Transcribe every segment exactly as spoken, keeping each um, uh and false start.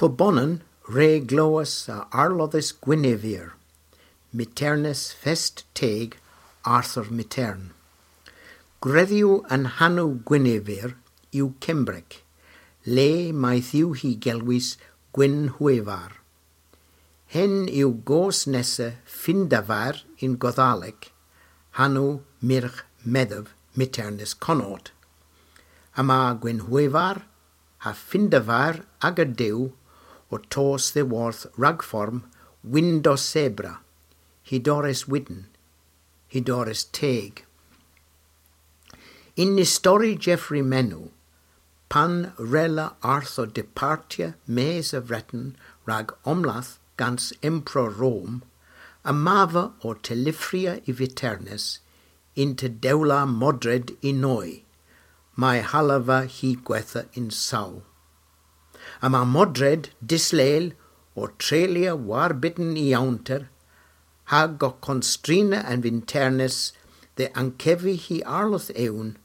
Pubonan re glowas a arlodhas Gwynevere, miternus fest teg Arthur Mitern. Gwredhyw an hanow Gwynevere yw Kembrek, le mayth yw hi gelwys Gwynhwyvar. Henn yw goos nessa Findavair yn Godhalek, hanow myrgh medhev miternus Connaught. Yma Gwynhwyvar ha Findavair aga dew ow tos dhyworth ragform Windosebra, hudores wydn, hudores teg. Yn istori Geoffrey Menno, pan wrella Arthur departya mes a Vreten rag omladh gans Emperor Rom, yma ow telyffrya y viternus yn tedhewla Modred y noy, may hallava hy gwettha yn saw. Yma Modred dyslel ow treylya warbydn y ewnter, hag ow konstrina an viternus dhe ankevi hy arlodh ewn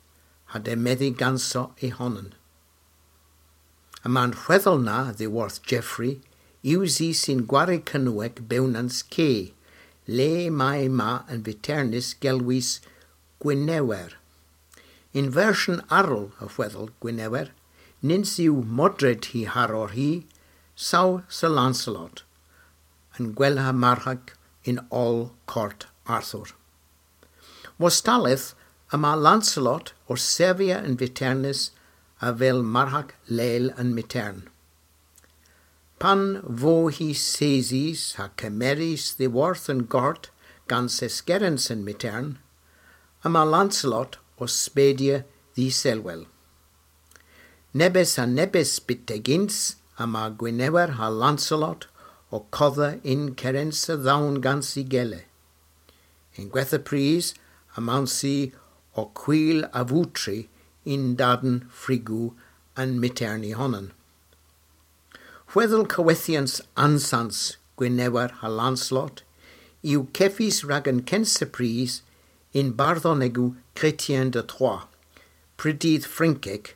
ha demedhi ganso y honan. Yma'n hwedhel na dhyworth Geoffrey usys yn gwari Kernewek Bewnans Ke, le may ma an viternus gelwys Gwynewr. Yn versyon arall a hwedhel Gwynewr, nyns yw Modred hy haror hi, saw Sir Lancelot, an gwella marghek yn oll kort Arthur. Wostalleth yma Lancelot ow sevya an viternus avel marghek lel an mitern. Pan vo hi sesys ha kemerys dhyworth an gort gans eskerens an mitern, yma Lancelot ow spedya dh'y selwel. Nebes ha nebes byttegyns yma Gwynewr ha Lancelot ow kodha yn kerensa dhown gans y gele. Yn gwettha prys, ymawnsi ow kwil avutri yn daden frigow an mitern y honan. Hwedhel kowethyans ansans Gwynewr ha Lancelot yw kevys rag an kynsa prys yn bardhonegow Chrétien de Troyes, prydydh Frynkek,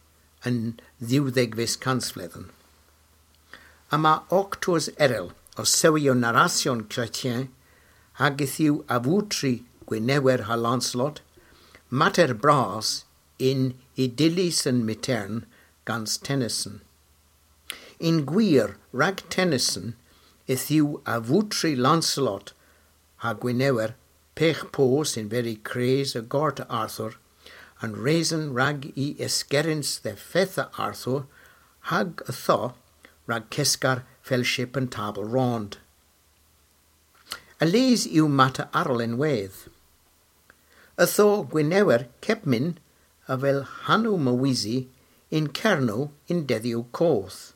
yn dhewdhegves kansvledhen. Yma ow tours erel ow sewi ow narasyon Chrétien, hag yth yw avutri Gwynewr ha Lancelot mater bras yn y dyllys an mitern gans Tennyson. Yn gwir, rag Tennyson, yth yw avutri Lancelot ha Gwynewr pegh poos yn veri kres a gort Arthur, an reson rag y eskerens dhe fetha Arthur, hag ytho rag keskar felshyp an Tabl Rond. A-lys yw mater arall ynwedh. Ytho Gwynewr kepmyn avel hanow Mowesi yn Kernow yn dedhyow koth.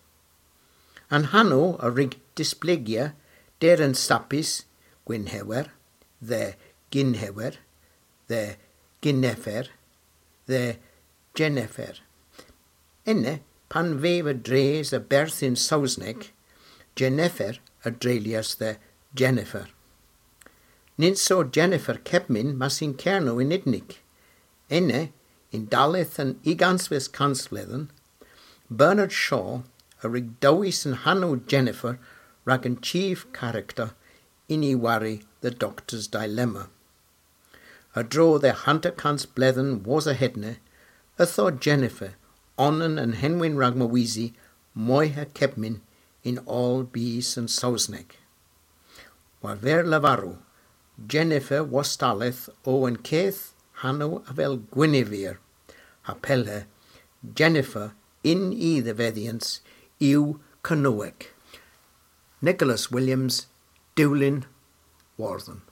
An hanow a wrug displegya der an sapys Gwynhewr, dhe Gynhewr, dhe Gyneffer, dhe Jeneffer. Ena, pan vev a-dreus a-berth yn Sowsnek, Jeneffer a dreylyas dhe Jennifer. Nyns o Jennifer kepmyn mes yn Kernow yn Idnik. Ena, yn dalleth an ugens kansvledhen, Bernard Shaw a wrug dewis an hanow Jennifer rag an chief character yn y wari The Doctor's Dilemma. A-dro dhe hanter kans bledhen wosa hedna, yth o Jennifer onan a'n henwyn rag Mowesi moyha kepmyn yn oll bys an Sowsnek. War ver lavarow, Jennifer wostalleth o an keth hanow avel Gwynevere, ha pellher, Jennifer yn y dhevedhyans yw Kernewek. Nicholas Williams, Dulyn Wortham.